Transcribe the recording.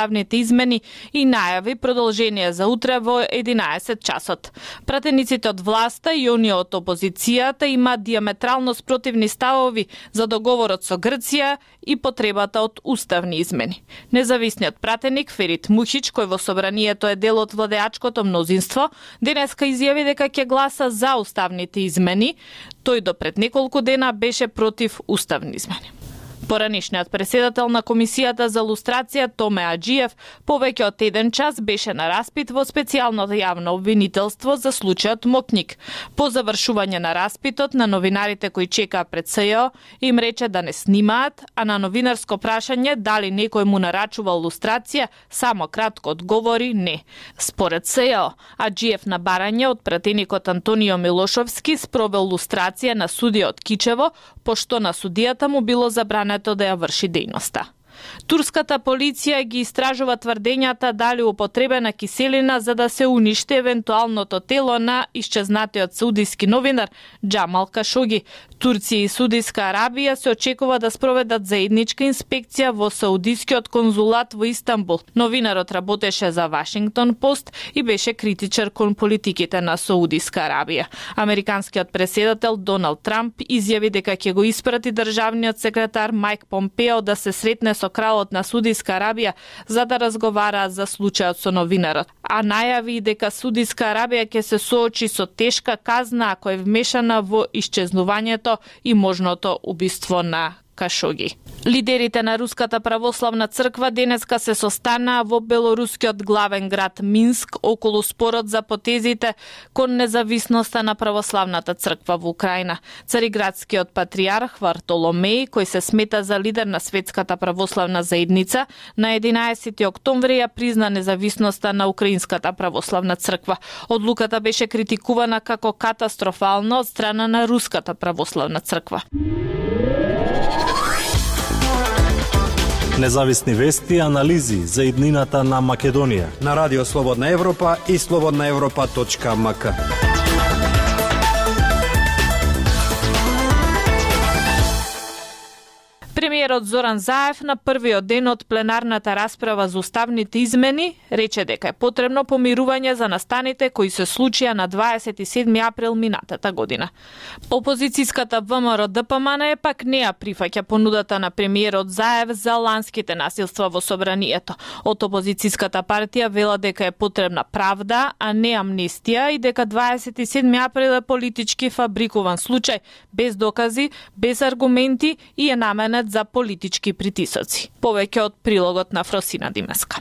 уставните измени и најави продолжение за утре во 11 часот. Пратениците од власта и оние од опозицијата имаат диаметрално спротивни ставови за договорот со Грција и потребата од уставни измени. Независниот пратеник Ферит Мухич, кој во собранието е дел од владеачкото мнозинство, денеска изјави дека ќе гласа за уставните измени. Тој до пред неколку дена беше против уставни измени. Поранишниот преседател на Комисијата за лустрација Томе Аџиев повеќе од 1 час беше на распит во специјалното јавно обвинителство за случајот Мокник. По завршување на распитот на новинарите кои чекаа пред СЈО им рече да не снимаат, а на новинарско прашање дали некој му нарачувал лустрација, само кратко одговори не. Според СЈО, Аџиев на барање од пратеникот Антонио Милошовски спровел лустрација на судиот Кичево, пошто на судијата му било забрането да ја врши дејноста. Турската полиција ги истражува тврдењата дали употребена киселина за да се уништи евентуалното тело на исчезнатиот саудиски новинар Џамал Кашоги. Турција и Саудиска Арабија се очекува да спроведат заедничка инспекција во саудискиот конзулат во Истанбул. Новинарот работеше за Вашингтон Пост и беше критичар кон политиките на Саудиска Арабија. Американскиот преседател Доналд Трамп изјави дека ќе го испрати државниот секретар Мајк Помпео да се сретне со кралот на Саудиска Арабија за да разговараат за случајот со новинарот. А најави дека Саудиска Арабија ќе се соочи со тешка казна ако е вмешана во исчезнувањето и можното убиство на Кашоги. Лидерите на Руската православна црква денеска се состанаа во белорускиот главен град Минск околу спорот за потезите кон независноста на православната црква во Украина. Цариградскиот патријарх Вартоломеј, кој се смета за лидер на светската православна заедница, на 11 октомври ја призна независноста на Украинската православна црква. Одлуката беше критикувана како катастрофална од страна на Руската православна црква. Независни вести и анализи за иднината на Македонија на Радио Слободна Европа и slobodnaevropa.mk. Премиерот Зоран Заев на првиот ден од пленарната расправа за уставните измени рече дека е потребно помирување за настаните кои се случија на 27 април минатата година. Опозицијската ВМРО ДПМН пак не ја прифаќа понудата на премиерот Заев за ланските насилства во собранието. Од опозицијската партија вела дека е потребна правда, а не амнестија и дека 27 април е политички фабрикуван случај, без докази, без аргументи и е наменет за политички притисоци. Повеќе од прилогот на Фросина Димеска.